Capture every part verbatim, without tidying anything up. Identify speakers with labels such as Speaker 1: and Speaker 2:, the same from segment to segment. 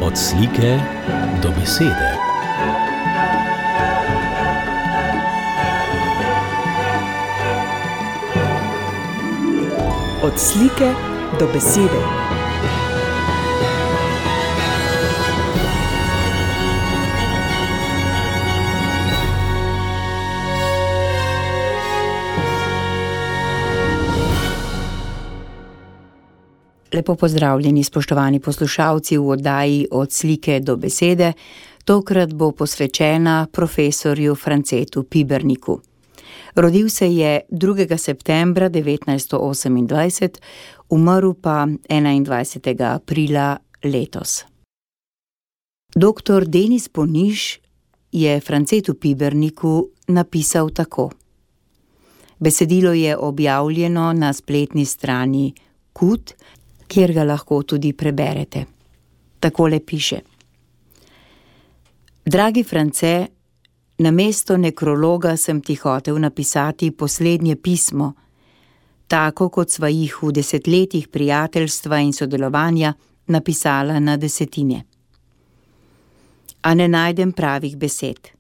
Speaker 1: Od slike do besede.
Speaker 2: Od slike do besede. Lepo pozdravljeni, spoštovani poslušalci v oddaji Od slike do besede. Tokrat bo posvečena profesorju Francetu Piberniku. Rodil se je drugega septembra devetnajststo osemindvajset, umrl pa enaindvajsetega aprila letos. Doktor Denis Poniž je Francetu Piberniku napisal tako. Besedilo je objavljeno na spletni strani Kut, kjer ga lahko tudi preberete. Takole piše. Dragi France, namesto nekrologa sem ti hotel napisati poslednje pismo, tako kot sva jih v desetletjih prijateljstva in sodelovanja napisala na desetine. A ne najdem pravih besed.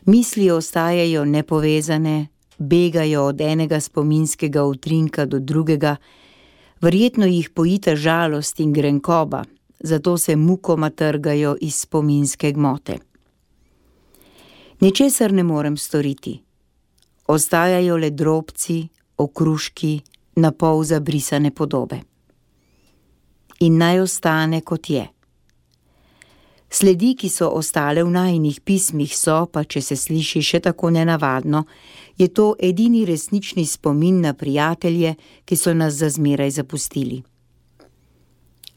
Speaker 2: Misli ostajajo nepovezane, begajo od enega spominskega utrinka do drugega, verjetno jih pojita žalost in grenkoba, zato se mukoma trgajo iz spominske gmote. Ničesar ne morem storiti. Ostajajo le drobci, okruški, napol zabrisane podobe. In naj ostane, kot je. Sledi, ki so ostale v najinih pismih, so, pa če se sliši še tako nenavadno, je to edini resnični spomin na prijatelje, ki so nas za zmeraj zapustili.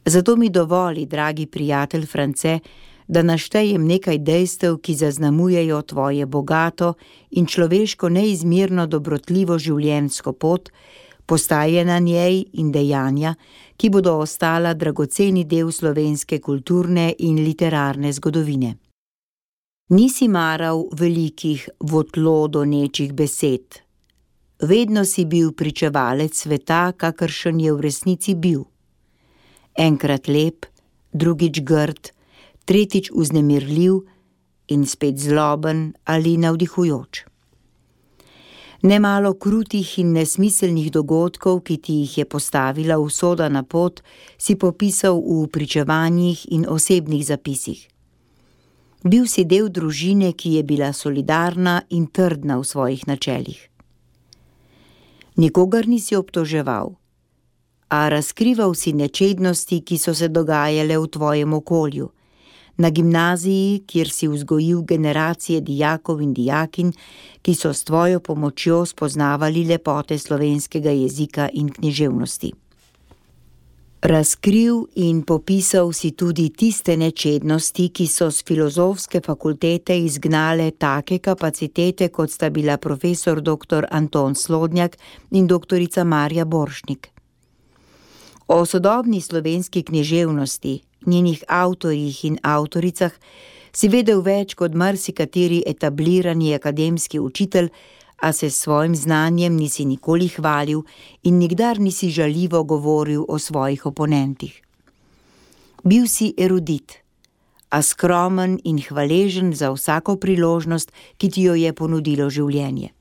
Speaker 2: Zato mi dovoli, dragi prijatelj France, da naštejem nekaj dejstev, ki zaznamujejo tvoje bogato in človeško neizmerno dobrotljivo življenjsko pot, postaje na njej in dejanja, ki bodo ostala dragoceni del slovenske kulturne in literarne zgodovine. Nisi maral velikih votlo donečih besed. Vedno si bil pričevalec sveta, kakršen je v resnici bil. Enkrat lep, drugič grd, tretjič vznemirljiv in spet zloben ali navdihujoč. Nemalo krutih in nesmiselnih dogodkov, ki ti jih je postavila usoda na pot, si popisal v pričevanjih in osebnih zapisih. Bil si del družine, ki je bila solidarna in trdna v svojih načelih. Nikogar nisi obtoževal, a razkrival si nečednosti, ki so se dogajale v tvojem okolju, na gimnaziji, kjer si vzgojil generacije dijakov in dijakinj, ki so s tvojo pomočjo spoznavali lepote slovenskega jezika in književnosti. Razkril in popisal si tudi tiste nečednosti, ki so s filozofske fakultete izgnale take kapacitete, kot sta bila profesor doktor Anton Slodnjak in doktorica Marja Borštnik. O sodobni slovenski književnosti, njenih avtorjih in avtoricah, si vedel več kot marsikateri etablirani akademski učitelj, a se s svojim znanjem nisi nikoli hvalil in nikdar nisi žaljivo govoril o svojih oponentih. Bil si erudit, a skromen in hvaležen za vsako priložnost, ki ti jo je ponudilo življenje.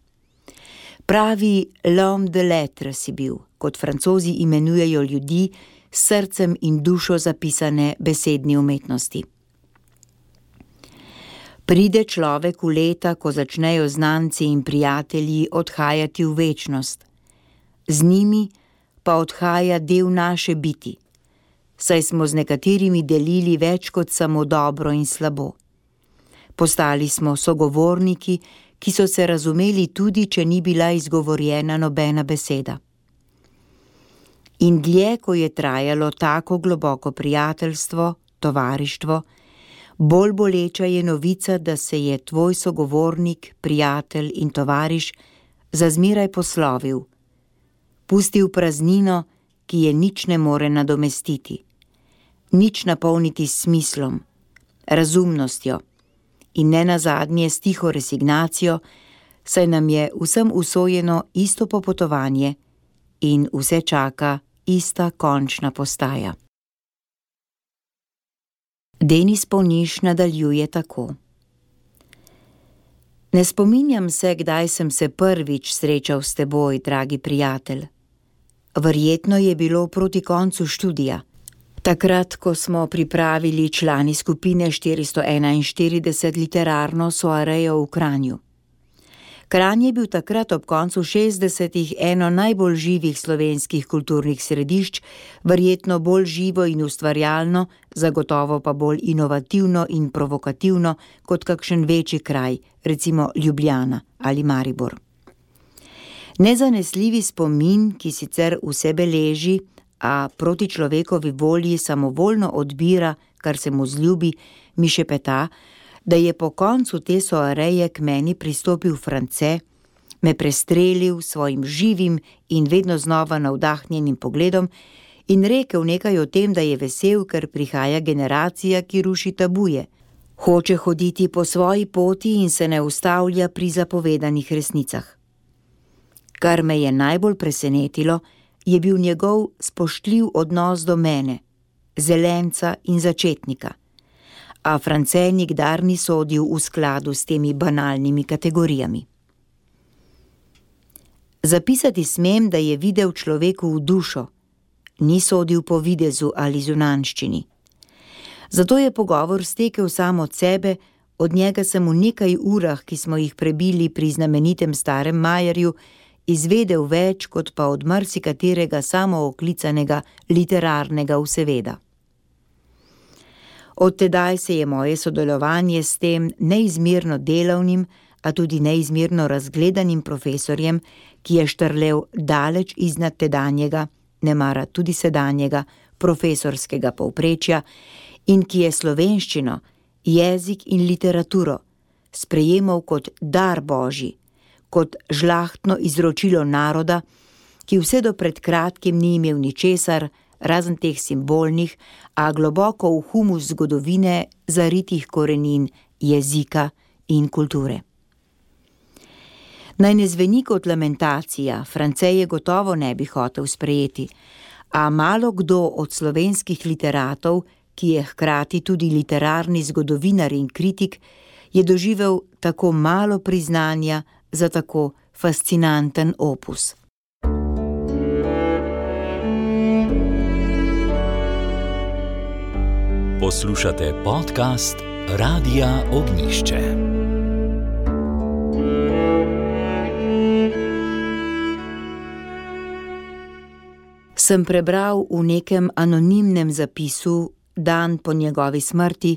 Speaker 2: Pravi l'homme de lettres si bil, kot Francozi imenujejo ljudi, s srcem in dušo zapisane besedni umetnosti. Pride človek v leta, ko začnejo znanci in prijatelji odhajati v večnost. Z njimi pa odhaja del naše biti, saj smo z nekaterimi delili več kot samo dobro in slabo. Postali smo sogovorniki, ki so se razumeli tudi, če ni bila izgovorjena nobena beseda. In dlje, ko je trajalo tako globoko prijateljstvo, tovarištvo, bolj boleča je novica, da se je tvoj sogovornik, prijatelj in tovariš za zmeraj poslovil, pustil praznino, ki je nič ne more nadomestiti, nič napolniti s smislom, razumnostjo in nenazadnje s tiho resignacijo, saj nam je vsem usojeno isto popotovanje in vse čaka ista končna postaja. Denis Polniš nadaljuje tako. Ne spominjam se, kdaj sem se prvič srečal s teboj, dragi prijatelj. Verjetno je bilo proti koncu študija. Takrat, ko smo pripravili člani skupine štiristo enainštirideset literarno soarejo v Kranju. Kranj je bil takrat ob koncu šestdesetih eno najbolj živih slovenskih kulturnih središč, verjetno bolj živo in ustvarjalno, zagotovo pa bolj inovativno in provokativno kot kakšen večji kraj, recimo Ljubljana ali Maribor. Nezanesljivi spomin, ki sicer vse beleži, a proti človekovi volji samovoljno odbira, kar se mu zljubi, mi šepeta, da je po koncu te soareje k meni pristopil France, me prestrelil svojim živim in vedno znova navdahnjenim pogledom in rekel nekaj o tem, da je vesel, ker prihaja generacija, ki ruši tabuje. Hoče hoditi po svoji poti in se ne ustavlja pri zapovedanih resnicah. Kar me je najbolj presenetilo, je bil njegov spoštljiv odnos do mene, zelenca in začetnika. A France nikdar ni sodil v skladu s temi banalnimi kategorijami. Zapisati smem, da je videl človeku v dušo, ni sodil po videzu ali zunanjščini. Zato je pogovor stekel sam od sebe, od njega sem v nekaj urah, ki smo jih prebili pri znamenitem Starem Majerju, izvedel več kot pa od marsikaterega samooklicanega literarnega vseveda. Od tedaj se je moje sodelovanje s tem neizmerno delavnim, a tudi neizmerno razgledanim profesorjem, ki je štrlel daleč iznad tedanjega, nemara tudi sedanjega, profesorskega povprečja in ki je slovenščino, jezik in literaturo sprejemal kot dar Božji, kot žlahtno izročilo naroda, ki vse do pred kratkim ni imel ničesar, razen teh simbolnih, a globoko v humus zgodovine zaritih korenin jezika in kulture. Naj ne zveni kot lamentacija, France je gotovo ne bi hotel sprejeti, a malo kdo od slovenskih literatov, ki je hkrati tudi literarni zgodovinar in kritik, je doživel tako malo priznanja za tako fascinanten opus.
Speaker 1: Poslušate podcast Radia Ognjišče.
Speaker 2: Sem prebral v nekem anonimnem zapisu dan po njegovi smrti,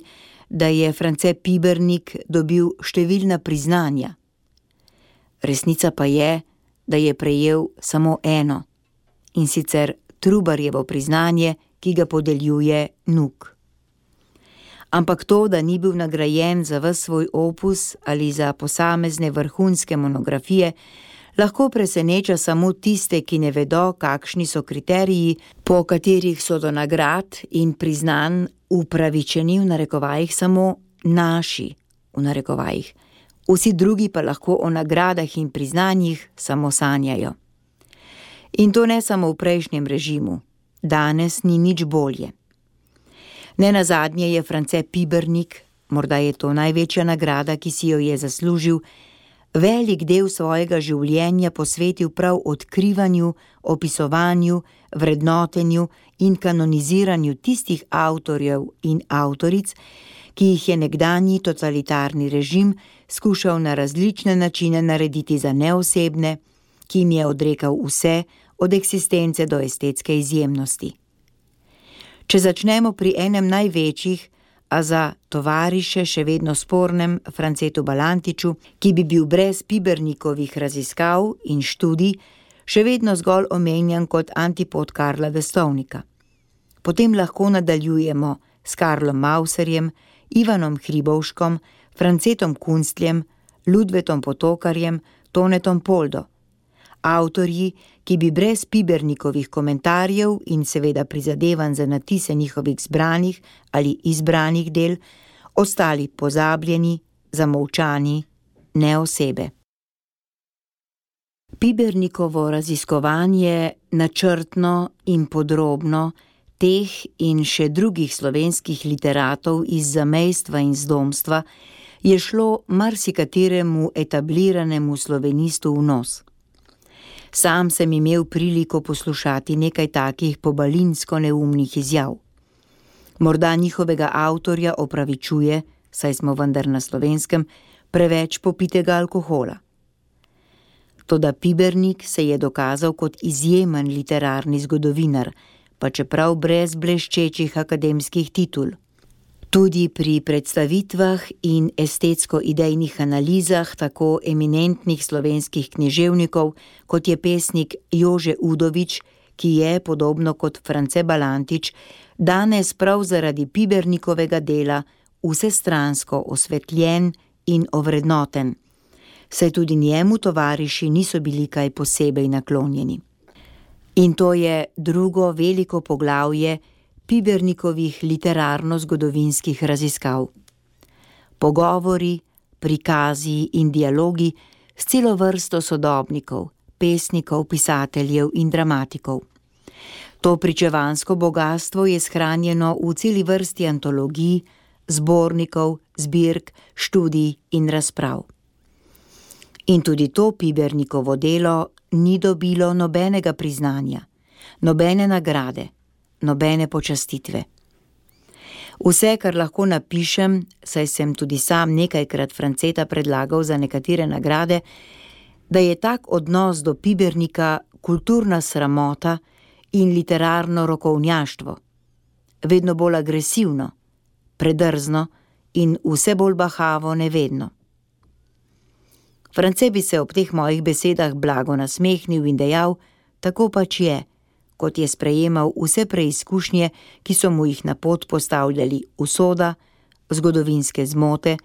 Speaker 2: da je France Pibernik dobil številna priznanja. Resnica pa je, da je prejel samo eno, in sicer Trubarjevo priznanje, ki ga podeljuje Nuk. Ampak to, da ni bil nagrajen za ves svoj opus ali za posamezne vrhunske monografije, lahko preseneča samo tiste, ki ne vedo, kakšni so kriteriji, po katerih so do nagrad in priznanj upravičeni, v narekovajih, samo naši, v narekovajih. Vsi drugi pa lahko o nagradah in priznanjih samo sanjajo. In to ne samo v prejšnjem režimu. Danes ni nič bolje. Nenazadnje je France Pibernik, morda je to največja nagrada, ki si jo je zaslužil, velik del svojega življenja posvetil prav odkrivanju, opisovanju, vrednotenju in kanoniziranju tistih avtorjev in avtoric, ki jih je nekdanji totalitarni režim skušal na različne načine narediti za neosebne, ki jim je odrekal vse, od eksistence do estetske izjemnosti. Če začnemo pri enem največjih, a za tovariše še vedno spornem Francetu Balantiču, ki bi bil brez Pibernikovih raziskav in študij še vedno zgolj omenjan kot antipod Karla Destovnika. Potem lahko nadaljujemo s Karlom Mauserjem, Ivanom Hribovškom, Francetom Kunstljem, Ludvetom Potokarjem, Tonetom Poldo. Avtorji, ki bi brez Pibernikovih komentarjev in seveda prizadevanj za natise njihovih zbranih ali izbranih del, ostali pozabljeni, zamolčani, ne osebe. Pibernikovo raziskovanje načrtno in podrobno Teh in še drugih slovenskih literatov iz zamejstva in zdomstva je šlo marsikateremu etabliranemu slovenistu v nos. Sam sem imel priliko poslušati nekaj takih pobalinsko neumnih izjav. Morda njihovega avtorja opravičuje, saj smo vendar na Slovenskem, preveč popitega alkohola. Toda Pibernik se je dokazal kot izjemen literarni zgodovinar, pa čeprav brez bleščečih akademskih titul. Tudi pri predstavitvah in estetsko-idejnih analizah tako eminentnih slovenskih književnikov, kot je pesnik Jože Udovič, ki je, podobno kot France Balantič, danes prav zaradi Pibernikovega dela vsestransko osvetljen in ovrednoten, saj tudi njemu tovariši niso bili kaj posebej naklonjeni. In to je drugo veliko poglavje Pibernikovih literarno-zgodovinskih raziskav. Pogovori, prikazi in dialogi s celo vrsto sodobnikov, pesnikov, pisateljev in dramatikov. To pričevansko bogastvo je shranjeno v celi vrsti antologij, zbornikov, zbirk, študij in razprav. In tudi to Pibernikovo delo ni dobilo nobenega priznanja, nobene nagrade, nobene počastitve. Vse, kar lahko napišem, saj sem tudi sam nekajkrat Franceta predlagal za nekatere nagrade, da je tak odnos do Pibernika kulturna sramota in literarno rokovnjaštvo, vedno bolj agresivno, predrzno in vse bolj bahavo nevedno. France bi se ob teh mojih besedah blago nasmehnil in dejal, tako pač je, kot je sprejemal vse preizkušnje, ki so mu jih na pot postavljali usoda, zgodovinske zmote,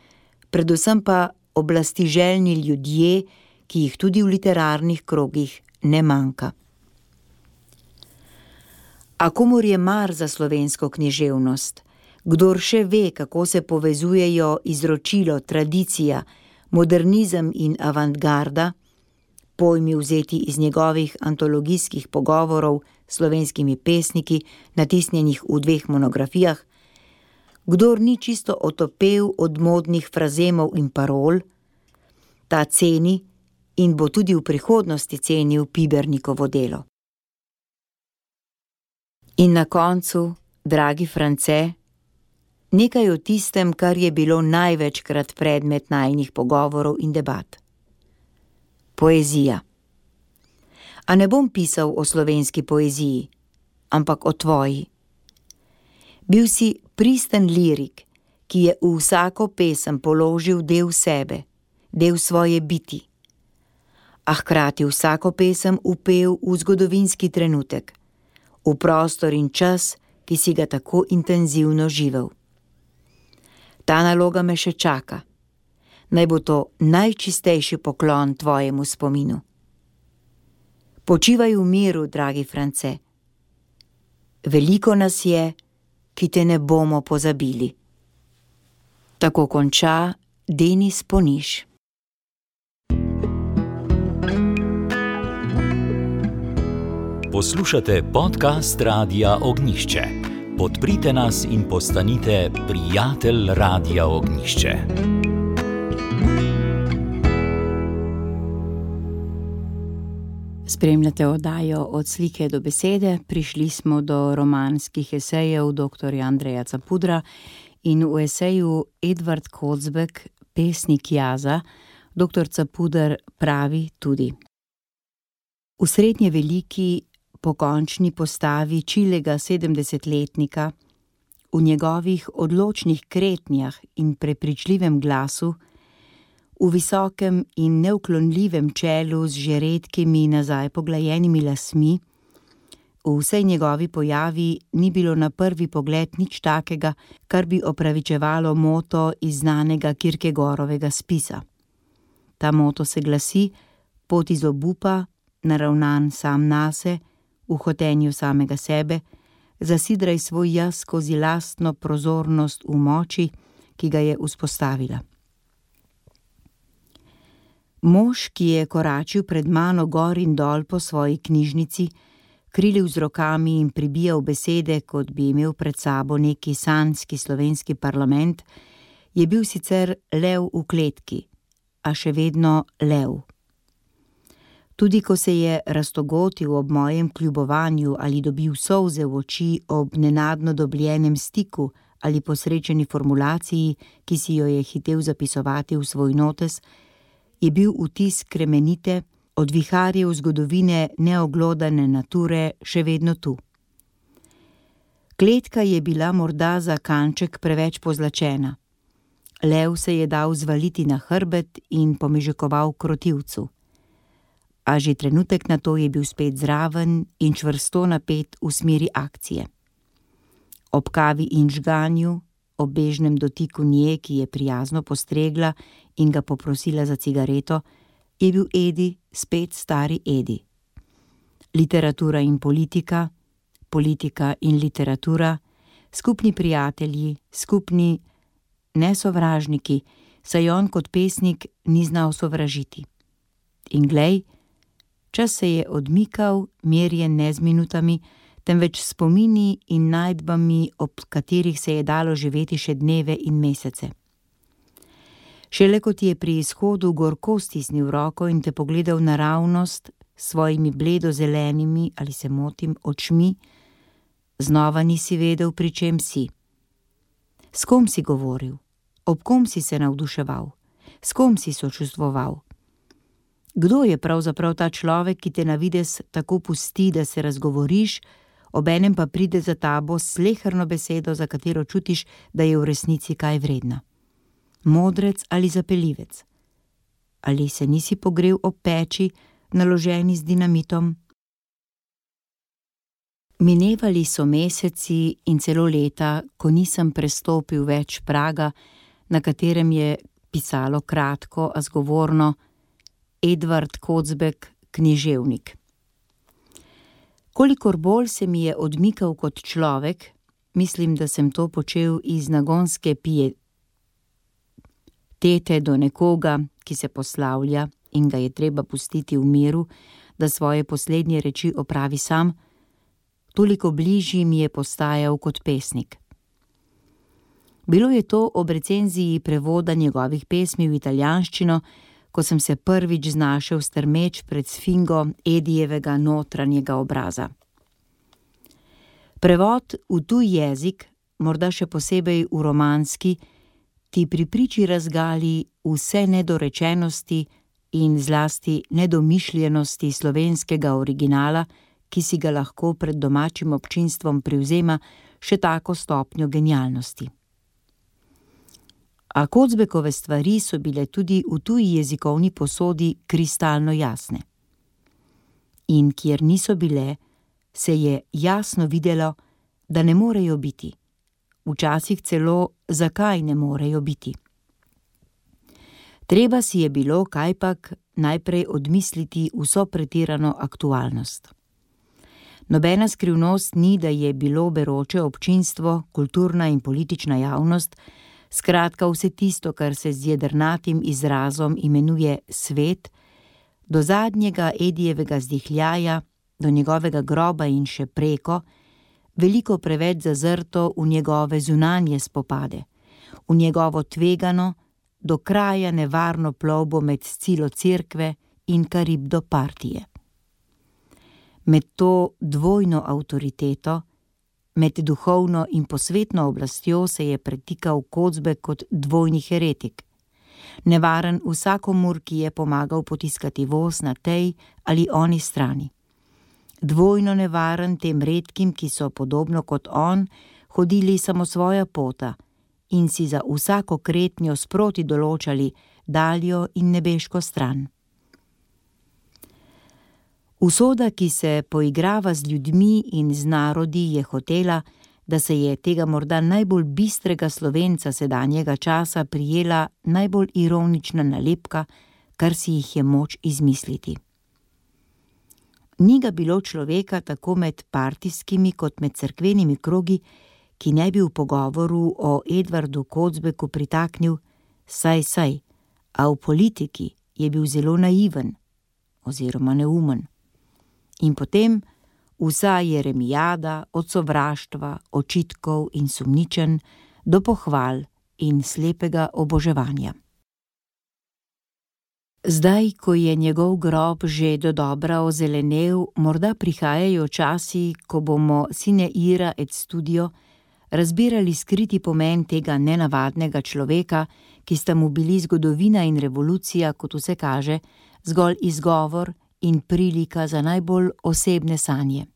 Speaker 2: predvsem pa oblastiželjni ljudje, ki jih tudi v literarnih krogih ne manjka. A komur je mar za slovensko književnost, kdor še ve, kako se povezujejo izročilo, tradicija, modernizem in avantgarda, pojmi vzeti iz njegovih antologijskih pogovorov s slovenskimi pesniki, natisnjenih v dveh monografijah, kdor ni čisto otopel od modnih frazemov in parol, ta ceni in bo tudi v prihodnosti cenil Pibernikovo delo. In na koncu, dragi France, nekaj o tistem, kar je bilo največkrat predmet najinih pogovorov in debat. Poezija. A ne bom pisal o slovenski poeziji, ampak o tvoji. Bil si pristen lirik, ki je v vsako pesem položil del sebe, del svoje biti, a hkrati vsako pesem vpel v zgodovinski trenutek, v prostor in čas, ki si ga tako intenzivno živel. Ta naloga me še čaka. Naj bo to najčistejši poklon tvojemu spominu. Počivaj v miru, dragi France. Veliko nas je, ki te ne bomo pozabili. Tako konča Denis Poniš.
Speaker 1: Poslušate podcast Radia Ognjišče. Podprite nas in postanite prijatelj Radia Ognjišče.
Speaker 2: Spremljate oddajo Od slike do besede. Prišli smo do romanskih esejev doktorja Andreja Capudra in v eseju Edvard Kocbek, pesnik jaza, doktor Capuder pravi tudi: v srednje veliki pokončni postavi čilega sedemdesetletnika, v njegovih odločnih kretnjah in prepričljivem glasu, v visokem in neuklonljivem čelu z že redkimi nazaj poglajenimi lasmi, v vsej njegovi pojavi ni bilo na prvi pogled nič takega, kar bi opravičevalo moto iz znanega Kierkegaardovega spisa. Ta moto se glasi: pot iz obupa, naravnan sam nase, v hotenju samega sebe, zasidraj svoj jaz skozi lastno prozornost v moči, ki ga je vzpostavila. Mož, ki je koračil pred mano gor in dol po svoji knjižnici, krilil z rokami in pribijal besede, kot bi imel pred sabo neki sanjski slovenski parlament, je bil sicer lev v kletki, a še vedno lev. Tudi ko se je raztogotil ob mojem kljubovanju ali dobil solze v oči ob nenadno dobljenem stiku ali posrečeni formulaciji, ki si jo je hitel zapisovati v svoj notes, je bil vtis kremenite, od viharjev zgodovine neoglodane nature še vedno tu. Kletka je bila morda za kanček preveč pozlačena. Lev se je dal zvaliti na hrbet in pomežekoval krotivcu. A že trenutek na to je bil spet zraven in čvrsto napet v smeri akcije. Ob kavi in žganju, ob bežnem dotiku nje, ki je prijazno postregla in ga poprosila za cigareto, je bil Edi spet stari Edi. Literatura in politika, politika in literatura, skupni prijatelji, skupni nesovražniki, saj on kot pesnik ni znal sovražiti. In glej, čas se je odmikal, merjen ne z minutami, temveč spomini in najdbami, ob katerih se je dalo živeti še dneve in mesece. Šele kot je pri izhodu gorko stisnil roko in te pogledal naravnost s svojimi bledo zelenimi, ali se motim, očmi, znova nisi vedel, pri čem si. S kom si govoril? Ob kom si se navduševal? S kom si sočustvoval? Kdo je pravzaprav ta človek, ki te na videz tako pusti, da se razgovoriš, obenem pa pride za tabo s sleherno besedo, za katero čutiš, da je v resnici kaj vredna? Modrec ali zapeljivec? Ali se nisi pogrel ob peči, naloženi z dinamitom? Minevali so meseci in celo leta, ko nisem prestopil več praga, na katerem je pisalo kratko, a zgovorno Edvard Kocbek, književnik. Kolikor bolj se mi je odmikal kot človek, mislim, da sem to počel iz nagonske pietete do nekoga, ki se poslavlja in ga je treba pustiti v miru, da svoje poslednje reči opravi sam, toliko bližji mi je postajal kot pesnik. Bilo je to ob recenziji prevoda njegovih pesmi v italijanščino, ko sem se prvič znašel strmeč pred sfingo Edijevega notranjega obraza. Prevod v tuj jezik, morda še posebej v romanski, ti pri priči razgali vse nedorečenosti in zlasti nedomišljenosti slovenskega originala, ki si ga lahko pred domačim občinstvom privzema še tako stopnjo genialnosti. A Kocbekove stvari so bile tudi v tuji jezikovni posodi kristalno jasne. In kjer niso bile, se je jasno videlo, da ne morejo biti. Včasih celo, zakaj ne morejo biti. Treba si je bilo kajpak najprej odmisliti vso pretirano aktualnost. Nobena skrivnost ni, da je bilo beroče občinstvo, kulturna in politična javnost, skratka vse tisto, kar se z jedrnatim izrazom imenuje svet, do zadnjega Edijevega zdihljaja, do njegovega groba in še preko, veliko preveč zazrto v njegove zunanje spopade, v njegovo tvegano, do kraja nevarno plovbo med Scilo cerkve in Karibdo partije. Med to dvojno avtoriteto, med duhovno in posvetno oblastjo se je pretikal Kocbek kot dvojni heretik, nevaren vsakomur, ki je pomagal potiskati voz na tej ali oni strani. Dvojno nevaren tem redkim, ki so podobno kot on hodili samo svoja pota in si za vsako kretnjo sproti določali daljo in nebeško stran. Usoda, ki se poigrava z ljudmi in z narodi, je hotela, da se je tega morda najbolj bistrega Slovenca sedanjega časa prijela najbolj ironična nalepka, kar si jih je moč izmisliti. Ni ga bilo človeka tako med partijskimi kot med cerkvenimi krogi, ki ne bi v pogovoru o Edvardu Kocbeku pritaknil saj saj, a v politiki je bil zelo naiven oziroma neumen. In potem Vsa jeremijada od sovraštva, očitkov in sumničenj do pohval in slepega oboževanja. Zdaj, ko je njegov grob že dodobra ozelenel, morda prihajajo časi, ko bomo sine ira et studio razbirali skriti pomen tega nenavadnega človeka, ki sta mu bili zgodovina in revolucija, kot vse kaže, zgolj izgovor in prilika za najbolj osebne sanje.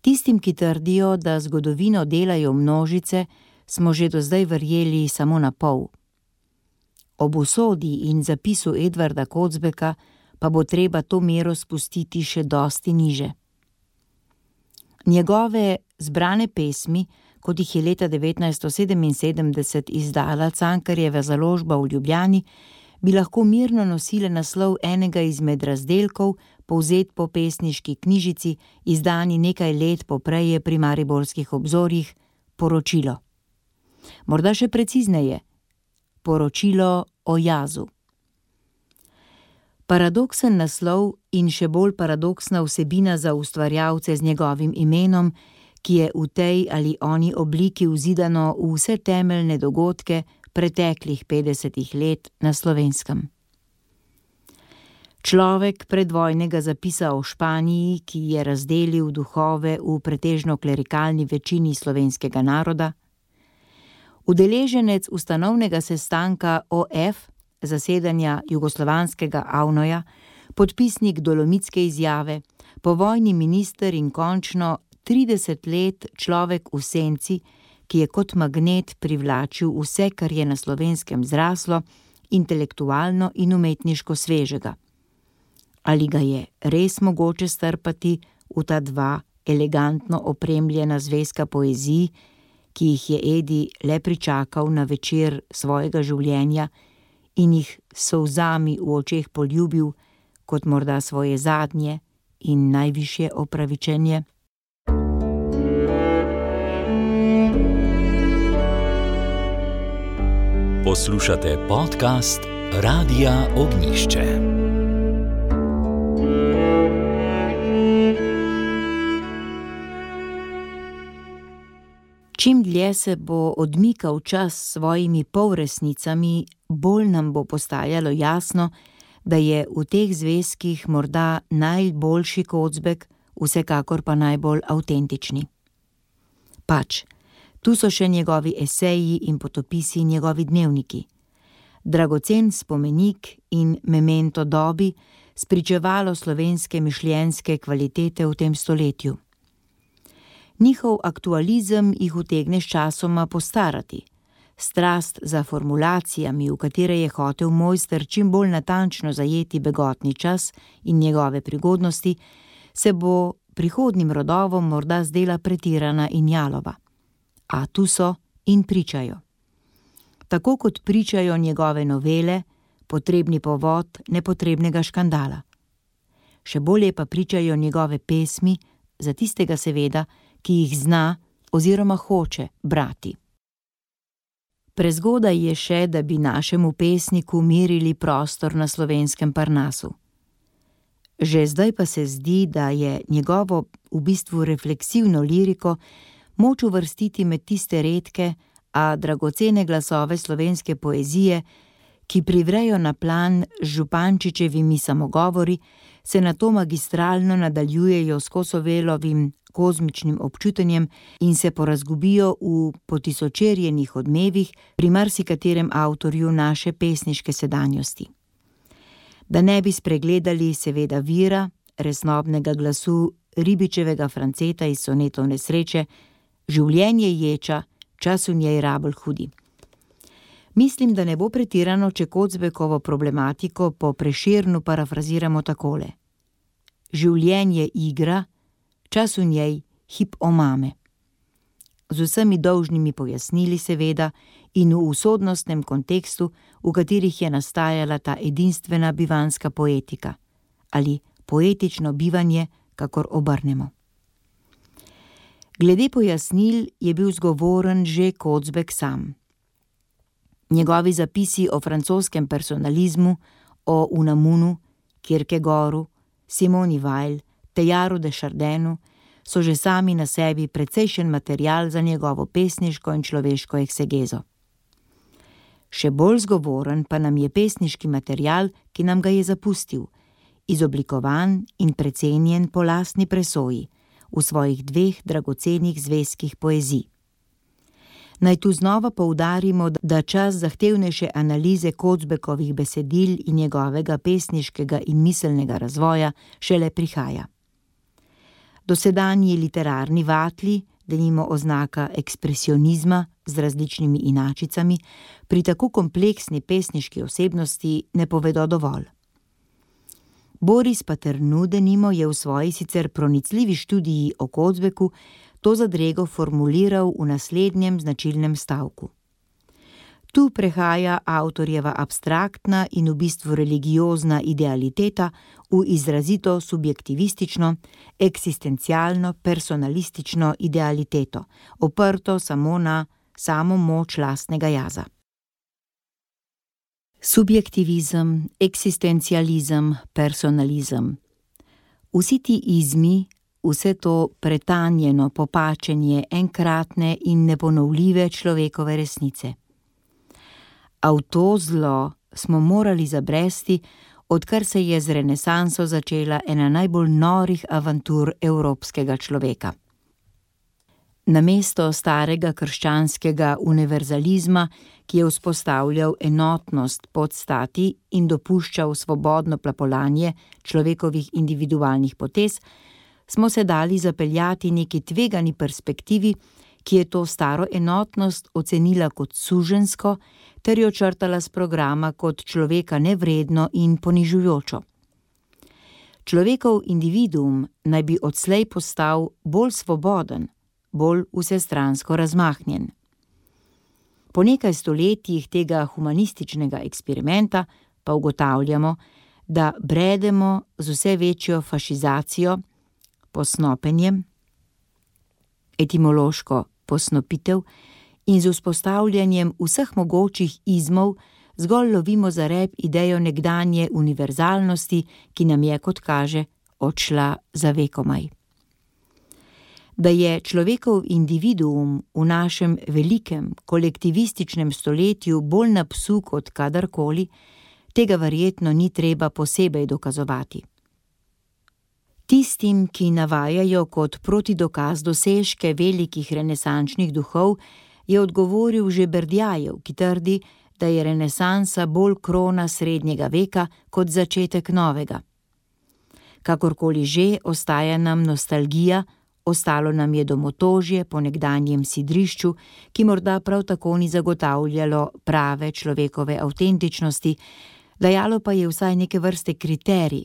Speaker 2: Tistim, ki trdijo, da zgodovino delajo množice, smo že do zdaj verjeli samo na pol. Ob usodi in zapisu Edvarda Kocbeka pa bo treba to mero spustiti še dosti niže. Njegove zbrane pesmi, kot jih je leta devetnajststo sedeminsedemdeset izdala Cankarjeva založba v Ljubljani, bi lahko mirno nosile naslov enega izmed razdelkov, povzet po pesniški knjižici, izdani nekaj let poprej pri mariborskih obzorjih, Poročilo. Morda še precizneje, Poročilo o jazu. Paradoksen naslov in še bolj paradoksna vsebina za ustvarjalce z njegovim imenom, ki je v tej ali oni obliki vzidano v vse temeljne dogodke preteklih petdesetih let na Slovenskem. Človek predvojnega zapisa o Španiji, ki je razdelil duhove v pretežno klerikalni večini slovenskega naroda, udeleženec ustanovnega sestanka O F, zasedanja jugoslovanskega Avnoja, podpisnik Dolomitske izjave, povojni minister in končno trideset let človek v senci, ki je kot magnet privlačil vse, kar je na Slovenskem zraslo, intelektualno in umetniško svežega. Ali ga je res mogoče strpati v ta dva elegantno opremljena zvezka poeziji, ki jih je Edi le pričakal na večer svojega življenja in jih s solzami v očeh poljubil kot morda svoje zadnje in najvišje opravičenje?
Speaker 1: Poslušate podcast Radia Ognjišče.
Speaker 2: Čim dlje se bo odmikal čas s svojimi polresnicami, bolj nam bo postajalo jasno, da je v teh zvezkih morda najboljši Kocbek, vsekakor pa najbolj avtentični. Pač, tu so še njegovi eseji in potopisi, njegovi dnevniki. Dragocen spomenik in memento dobi, spričevalo slovenske mišljenjske kvalitete v tem stoletju. Njihov aktualizem jih utegne sčasoma postarati. Strast za formulacijami, v katere je hotel mojster čim bolj natančno zajeti begotni čas in njegove prigodnosti, se bo prihodnim rodovom morda zdela pretirana in jalova. A tu so in pričajo. Tako kot pričajo njegove novele, potrebni povod nepotrebnega škandala. Še bolje pa pričajo njegove pesmi, za tistega seveda, ki jih zna oziroma hoče brati. Prezgodaj je še, da bi našemu pesniku merili prostor na slovenskem Parnasu. Že zdaj pa se zdi, da je njegovo v bistvu refleksivno liriko moč uvrstiti med tiste redke, a dragocene glasove slovenske poezije, ki privrejo na plan z Župančičevimi samogovori, se nato magistralno nadaljujejo s Kosovelovim kozmičnim občutenjem in se porazgubijo v potisočerjenih odmevih pri marsikaterem avtorju naše pesniške sedanjosti. Da ne bi spregledali seveda vira, resnobnega glasu Ribičevega Franceta iz sonetov Nesreče, življenje ječa, čas v njej rabelj hudi. Mislim, da ne bo pretirano, če Kocbekovo problematiko po Prešernu parafraziramo takole. Življenje igra, čas v njej hip omame. Z vsemi dolžnimi pojasnili seveda in v usodnostnem kontekstu, v katerih je nastajala ta edinstvena bivanska poetika, ali poetično bivanje, kakor obrnemo. Glede pojasnil je bil zgovoren že Kocbek sam. Njegovi zapisi o francoskem personalizmu, o Unamunu, Kierkegaardu, Simoni Weil, Teilhard de Chardinu so že sami na sebi precejšen material za njegovo pesniško in človeško eksegezo. Še bolj zgovoren pa nam je pesniški material, ki nam ga je zapustil, izoblikovan in precenjen po lastni presoji, v svojih dveh dragocenih zvezkih poezij. Naj tu znova poudarimo, da čas zahtevnejše analize Kocbekovih besedil in njegovega pesniškega in miselnega razvoja šele prihaja. Dosedanji literarni vatli, denimo oznaka ekspresionizma z različnimi inačicami, pri tako kompleksni pesniški osebnosti ne povedo dovolj. Boris Paternood denimo je v svoji sicer pronicljivi študiji o Kocbeku to zadrego formuliral v naslednjem značilnem stavku. Tu prehaja avtorjeva abstraktna in v bistvu religiozna idealiteta v izrazito subjektivistično, eksistencialno, personalistično idealiteto, oprto samo na samo moč lastnega jaza. Subjektivizem, eksistencializem, personalizem. Vsi ti izmi, vse to pretanjeno popačenje enkratne in neponovljive človekove resnice. A v to zlo smo morali zabresti, odkar se je z renesanso začela ena najbolj norih avantur evropskega človeka. Namesto starega krščanskega univerzalizma, ki je vzpostavljal enotnost podstati in dopuščal svobodno plapolanje človekovih individualnih potez, smo se dali zapeljati neki tvegani perspektivi, ki je to staro enotnost ocenila kot suženjsko ter jo črtala s programa kot človeka nevredno in ponižujočo. Človekov individuum naj bi odslej postal bolj svoboden, bolj vsestransko razmahnjen. Po nekaj stoletjih tega humanističnega eksperimenta pa ugotavljamo, da bredemo z vse večjo fašizacijo, posnopenjem, etimološko posnopitev in z vzpostavljanjem vseh mogočih izmov zgolj lovimo za rep idejo nekdanje univerzalnosti, ki nam je, kot kaže, odšla za vekomaj. Da je človekov individuum v našem velikem kolektivističnem stoletju bolj na psu kot kadarkoli, tega verjetno ni treba posebej dokazovati. Tistim, ki navajajo kot protidokaz dosežke velikih renesančnih duhov, je odgovoril že Berdjajev, ki trdi, da je renesansa bolj krona srednjega veka kot začetek novega. Kakorkoli že, ostaja nam nostalgija, ostalo nam je domotožje po nekdanjem sidrišču, ki morda prav tako ni zagotavljalo prave človekove avtentičnosti, dajalo pa je vsaj neke vrste kriterij,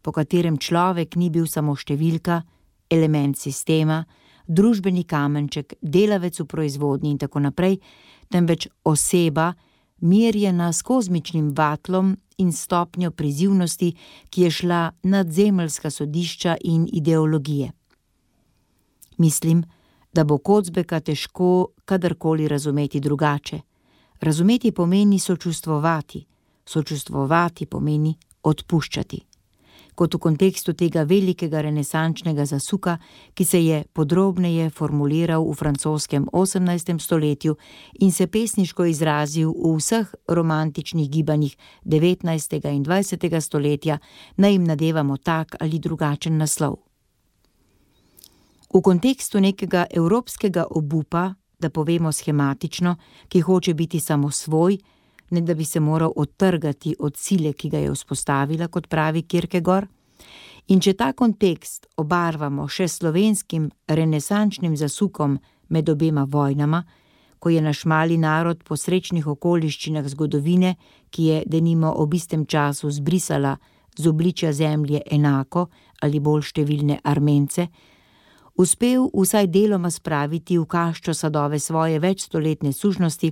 Speaker 2: po katerem človek ni bil samo številka, element sistema, družbeni kamenček, delavec v proizvodnji in tako naprej, temveč oseba, merjena s kozmičnim vatlom in stopnjo prizivnosti, ki je šla nad zemeljska sodišča in ideologije. Mislim, da bo Kocbeka težko kadarkoli razumeti drugače. Razumeti pomeni sočustvovati, sočustvovati pomeni odpuščati. Kot v kontekstu tega velikega renesančnega zasuka, ki se je podrobneje formuliral v francoskem osemnajstem stoletju in se pesniško izrazil v vseh romantičnih gibanjih devetnajstega in dvajsetega stoletja, naj jim nadevamo tak ali drugačen naslov. V kontekstu nekega evropskega obupa, da povemo schematično, ki hoče biti samo svoj, ne da bi se moral odtrgati od sile, ki ga je vzpostavila, kot pravi Kierkegaard, in če ta kontekst obarvamo še slovenskim renesančnim zasukom med obema vojnama, ko je naš mali narod po srečnih okoliščinah zgodovine, ki je denimo ob istem času zbrisala z obličja zemlje enako ali bolj številne Armence, uspel vsaj deloma spraviti v kaščo sadove svoje večstoletne sužnosti,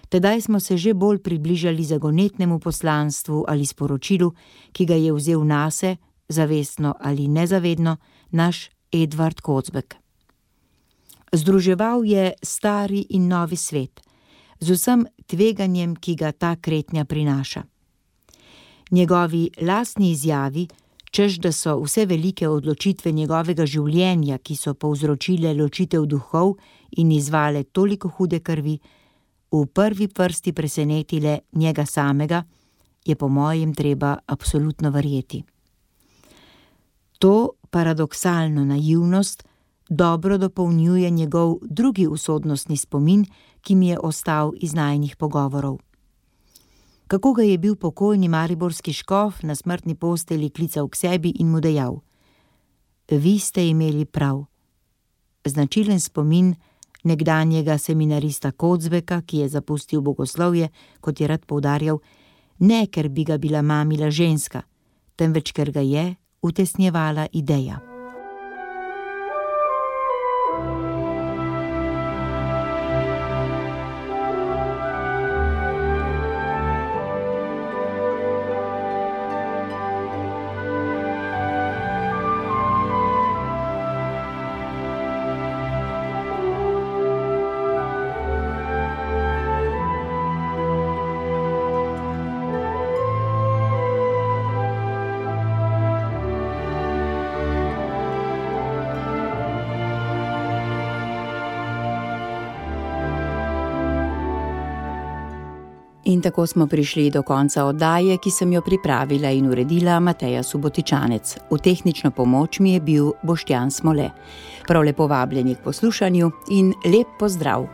Speaker 2: tedaj smo se že bolj približali zagonetnemu poslanstvu ali sporočilu, ki ga je vzel nase, zavestno ali nezavedno, naš Edvard Kocbek. Združeval je stari in novi svet, z vsem tveganjem, ki ga ta kretnja prinaša. Njegovi lastni izjavi, češ da so vse velike odločitve njegovega življenja, ki so povzročile ločitev duhov in izvale toliko hude krvi, v prvi vrsti presenetile njega samega, je po mojem treba absolutno verjeti. To paradoksalno naivnost dobro dopolnjuje njegov drugi usodnostni spomin, ki mi je ostal iz najinih pogovorov. Kako ga je bil pokojni mariborski škof na smrtni postelji klical k sebi in mu dejal: Vi ste imeli prav. Značilen spomin nekdanjega seminarista Kocbeka, ki je zapustil bogoslovje, kot je rad poudarjal, ne ker bi ga bila mamila ženska, temveč ker ga je utesnjevala ideja. In tako smo prišli do konca oddaje, ki sem jo pripravila in uredila Mateja Subotičanec. V tehnično pomoč mi je bil Boštjan Smole. Prav lepo vabljeni k poslušanju in lep pozdrav!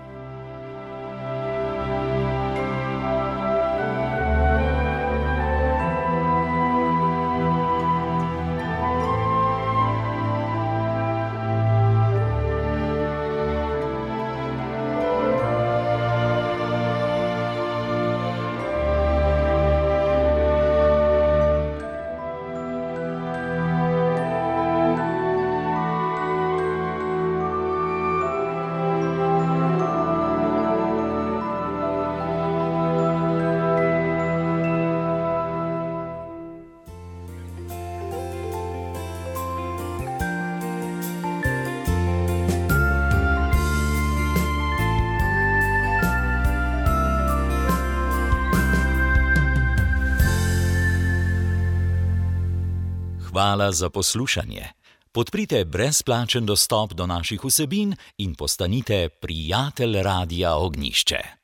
Speaker 1: Hvala za poslušanje. Podprite brezplačen dostop do naših vsebin in postanite prijatelj Radia Ognjišče.